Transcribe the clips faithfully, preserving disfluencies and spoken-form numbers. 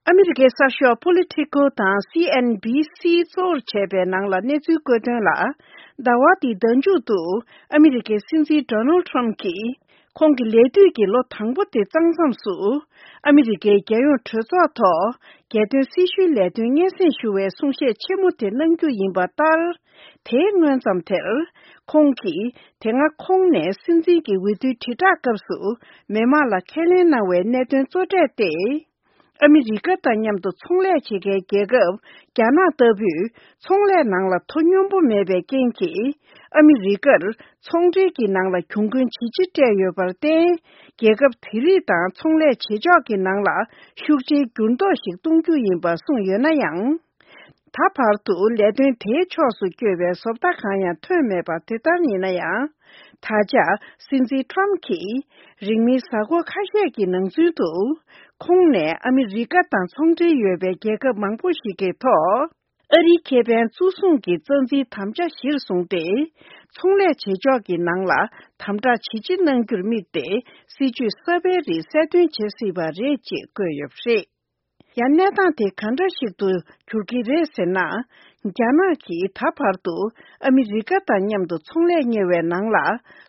ཨ་མི་རི་ཀའི་གསར་ཤོག་Politico་དང་C N B C་གཙོ་བོར་བྱས་པའི་ནང་ལ་གནས་ཚུལ་བཀོད་དོན་ལ། ཟླ་བ་འདིའི་ཟླ་མཇུག་ཏུ་ཨ་མི་རི་ཀའི་སྲིད་འཛིན་Donald Trump་གྱིས། ཁོང་གི་ལས་དུས་ཀྱི་ལོ་དང་པོ་དེ་བརྩམས་མཚམས་སུ། ཨ་མི་རི་ཀའི་རྒྱལ་ཡོངས་གྲོས་ཚོགས་ཐོག་རྒྱལ་དོན་སྲི་ཞུའི་ལས་དོན་སྙན་སེང་ཞུ་བའི་གསུང་བཤད་ཆེན་མོ་དེ་གནང་རྒྱུ་ཡིན་པ་ལྟར། དེའི་སྔོན་ཙམ་དེར། ཁོང་གིས་དེ་སྔ་ཁོང་ནས་སྲིད་འཛིན་གྱི་འོས་བསྡུའི་དྲིལ་བསྒྲགས་སྐབས་སུ་མི་མང་ལ་ཁས་ལེན་གནང་བའི་གནད་དོན་གཙོ་གྲས་ཏེ། ཨ་མི་རི་ཀ་དང་མཉམ་དུ་ཚོང་ལས་བྱེད་མཁན་རྒྱལ་ཁབ་རྒྱ་ནག་ལྟ་བུས་ཚོང་ལས་ནང་ལ་དོ་སྙོམས་པོ་མེད་པའི་རྐྱེན་གྱིས། ཨ་མི་རི་ཀར་ཚོང་འབྲེལ་གྱི་ནང་ལ་གྱོང་གུན་ཇི་ཆེ་སྤྲད་ཡོད་པར་བརྟེན། རྒྱལ་ཁབ་དེ་རིགས་དང་ཚོང་ལས་བྱེད་ཕྱོགས་ཀྱི་ནང་ལ་ཤུགས་ཆེའི་འགྱུར་ལྡོག་ཞིག་གཏོང་རྒྱུ་ཡིན་པ་གསུངས་ཡོད་ན་ཡང་། ད་བར་དུ་ལས་དོན་དེའི་ཕྱོགས་སུ་བསྐྱོད་པའི་བཟོ་ལྟ་གང་ཡང་ཐོན་མེད་པ་དེ་ལྟར་ཡིན་ན་ཡང་། ད་ཆ་སྲིད་འཛིན་ཁྲོམ་གྱིས་རིང་མིན་གཟའ་འཁོར་ཁ་ཤས་ཀྱི་ནང་ཚུན་དུ། ཁོང་ནས་ཨ་མི་རི་ཀ་དང་ཚོང་འབྲེལ་ཡོད་པའི་རྒྱལ་ཁབ་མང་པོ་ཞིག་གི་ཐོག་ཨ་རིའི་ཁེ་ཕན་གཙོ་བཟུང་གི་རྩ་འཛིན་དམ་བཅའ་གཞིར་བཟུང་སྟེ། ཚོང་ལས་བྱེད་ཕྱོགས་ཀྱི་ནང་ལ་དམ་དྲག་ཇི་ཆེ་གནང་རྒྱུར་དམིགས་ཏེ། སྲིད་ཇུས་གསར་པའི་རིགས་གསལ་སྟོན་བྱེད་སྲིད་པ་རེད་ཅེས་བཀོད་ཡོད་པ་རེད། ཡང་གནས་སྟངས་དེ་ག་འདྲ་ཞིག་ཏུ་འགྱུར་གྱི་རེད་ཟེར་ན། རྒྱ་ནག་གིས་ད་བར་དུ་ཨ་མི་རི་ཀ་དང་མཉམ་དུ་ཚོང་ལས་གཉེར་བའི་ནང་ལ་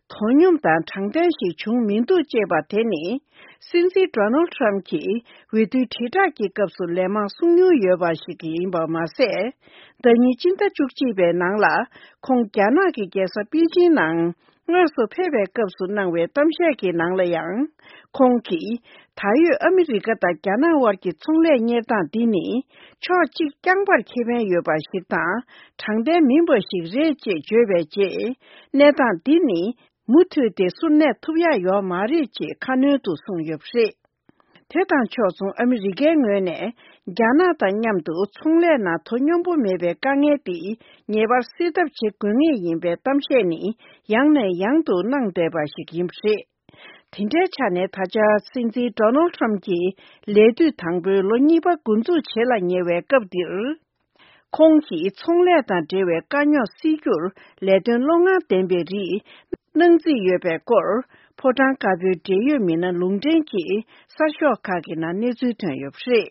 དོ་སྙོམས་དང་དྲང་བདེན་ཞིག་བྱུང་མི་འདུག་ཅེས་པ་དེ་ནི། སྲིད་འཛིན་Donald Trump་གྱིས་འོས་བསྡུའི་དྲིལ་བསྒྲགས་ཀྱི་སྐབས་སུ་ལན་མང་གསུངས་མྱོང་ཡོད་པ་ཞིག་ཡིན་པ་མ་ཟད། ཟླ་ཉིན་སྤྱི་ཟླ་བཅུ་གཅིག་པའི་ནང་ལ་ཁོང་རྒྱ་ནག་གི་རྒྱལ་ས་པེ་ཅིན་ནང་དངོས་སུ་ཕེབས་པའི་སྐབས་སུ་གནང་བའི་གཏམ་བཤད་ཀྱི་ནང་ལ་ཡང་། ཁོང་གིས་ད་ཡོད་ཨ་མི་རི་ཀ་དང་རྒྱ་ནག་དབར་གྱི་ཚོང་ལས་གཉེར་སྟངས་འདི་ནི་ཕྱོགས་གཅིག་རྐྱང་པར་ཁེ་ཕན་ཡོད་པ་ཞིག་དང་དྲང་བདེན་མིན་པ་ཞིག་རེད་ཅེས་བརྗོད་པའི་རྗེས། གནས་སྟངས་འདི་ནི་མུ་མཐུད་དེ་ཟུར་གནས་ཐུབ་ཡག་ཡོད་མ་རེད་ཅེས་ཁ་སྣོན་དུ་གསུངས་ཡོད་པ་རེད། དེ་དང་ཕྱོགས་མཚུངས་ཨ་མི་རི་ཀའི་ངོས་ནས་རྒྱ་ནག་དང་མཉམ་དུ་ཚོང་ལས་ནང་དོ་སྙོམས་པོ་མེད་པའི་དཀའ་ངལ་འདི་ངེས་པར་སེལ་ཐབས་བྱེད་དགོས་ངེས་ཡིན་པའི་གཏམ་བཤད་ནི་ཡང་ནས་ཡང་དུ་གནང་བསྡད་པ་ཞིག་ཡིན་པ་རེད། དེ་འདྲའི་ཆ་ནས་ད་ཆ་སྲིད་འཛིན་Donald Trump་གྱི་ལས་དུས་དང་པོའི་ལོ་གཉིས་པ་འགོ་འཛུགས་བྱེད་ལ་ཉེ་བའི་སྐབས་འདིར། ཁོང་གིས་ཚོང་ལས་དང་འབྲེལ་བའི་དཀའ་རྙོག་སེལ་རྒྱུར་ལས་དོན་བློ་ངར་ལྡན་པའི་རིགས་གནང་རྩིས་ཡོད་པའི་སྐོར། ཕོ་བྲང་དཀར་པོའི་འབྲེལ་ཡོད་མི་སྣ་ལུང་འདྲེན་གྱིས་གསར་ཤོག་ཁག་གི་ནང་གནས་ཚུལ་ཐོན་ཡོད་པ་རེད།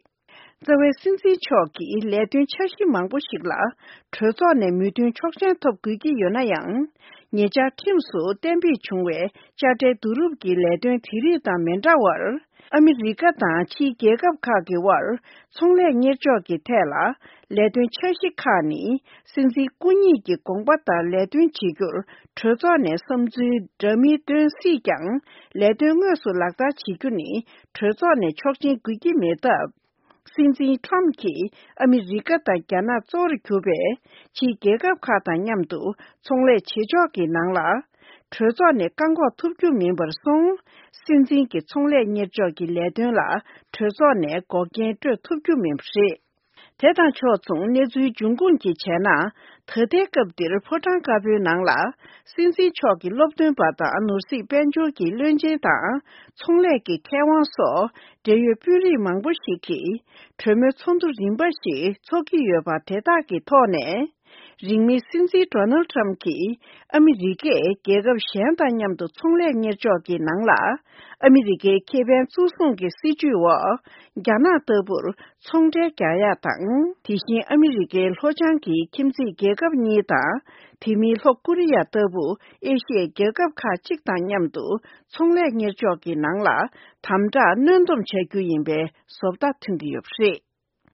རྩ་བའི་སྲིད་འཛིན་མཆོག་གིས་ལས་དོན་འཆར་གཞི་མང་པོ་ཞིག་ལ་གྲོས་ཚོགས་ནས་མོས་མཐུན་ཆོག་མཆན་ཐོབ་དགོས་ཀྱི་ཡོད་ན་ཡང་། ཉེ་ཆར་ཁྲིམས་སུ་གཏན་འབེབས་བྱུང་བའི་དཔྱ་ཁྲལ་བསྡུ་རུབ་ཀྱི་ལས་དོན་དེ་རིགས་དང་མི་འདྲ་བར། ཨ་མི་རི་ཀ་དང་ཕྱིའི་རྒྱལ་ཁབ་ཁག་གི་དབར་ཚོང་ལས་གཉེར་ཕྱོགས་ཀྱི་ཐད་ལ་ལས་དོན་འཆར་གཞི་ཁག་ནི་སྲིད་འཛིན་སྐུ་ཉིད་ཀྱི་དགོངས་པ་ལྟར་ལས་དོན་བྱེད་རྒྱུར་གྲོས་ཚོགས་ནས་བསམ་ཚུལ་འདྲ་མིན་བཏོན་སྲིད་ཀྱང་། ལས་དོན་དངོས་སུ་ལག་བསྟར་བྱེད་རྒྱུ་ནི་གྲོས་ཚོགས་ནས་ཆོག་མཆན་དགོས་ཀྱི་མེད་སྟབས། སྲིད་འཛིན་ཁྲོམ་གྱིས་ཨ་མི་རི་ཀ་དང་རྒྱ་ནག་གཙོ་བོར་གྱུར་པའི་ཕྱིའི་རྒྱལ་ཁབ་ཁག་དང་མཉམ་དུ་ཚོང་ལས་བྱེད་ཕྱོགས་ཀྱི་ནང་ལ། གྲོས་ཚོགས་ནས་བཀག་འགོག་ཐུབ་རྒྱུ་མིན་པར་སོང་། སྲིད་འཛིན་གྱི་ཚོང་ལས་གཉེར་ཕྱོགས་ཀྱི་ལས་དོན་ལ་གྲོས་ཚོགས་ནས་འགོག་རྐྱེན་སྤྲོད་ཐུབ་རྒྱུ་མིན་པ་རེད། དེ་དང་ཕྱོགས་མཚུངས་གནས་ཚུལ་འབྱུང་ཁུངས་ཀྱིས་བྱས་ན། ད་ལྟའི་སྐབས་འདིར་ཕོ་བྲང་དཀར་པོའི་ནང་ལ་སྲིད་འཛིན་མཆོག་གི་སློབ་སྟོན་པ་དང་ནོར་སྲིད་དཔལ་འབྱོར་གྱི་བློན་ཆེན་དང་ཚོང་ལས་ཀྱི་མཁས་དབང་སོགས་འབྲེལ་ཡོད་དཔོན་རིགས་མང་པོ་ཞིག་གིས་གྲོས་མོལ་ཚོགས་འདུ་རིམ་པ་ཞིག་འཚོགས་ཀྱི་ཡོད་པ་དེ་དག་གི་ཐོག་ནས། རིང་མིན་སྲིད་འཛིན་Donald Trump་གྱིས་ཨ་མི་རི་ཀས་རྒྱལ་ཁབ་གཞན་དང་མཉམ་དུ་ཚོང་ལས་གཉེར་ཕྱོགས་ཀྱི་ནང་ལ་ཨ་མི་རི་ཀའི་ཁེ་ཕན་གཙོ་བཟུང་གི་སྲིད་ཇུས་འོག་རྒྱ་ནག་ལྟ་བུར་ཚོང་འབྲེལ་རྒྱག་ཡག་དང་། དེ་བཞིན་ཨ་མི་རི་ཀའི་ལྷོ་བྱང་གི་ཁྱིམ་མཚེས་རྒྱལ་ཁབ་གཉིས་དང་། དེ་མིན་ལྷོ་ཀོ་རི་ཡ་ལྟ་བུ་ཨེ་ཤི་ཡའི་རྒྱལ་ཁབ་ཁག་ཅིག་དང་མཉམ་དུ་ཚོང་ལས་གཉེར་ཕྱོགས་ཀྱི་ནང་ལ་དམ་དྲག་གནོན་སྡོམ་བྱ་རྒྱུ་ཡིན་པའི་བཟོ་ལྟ་ཐོན་གྱི་ཡོད་པ་རེད།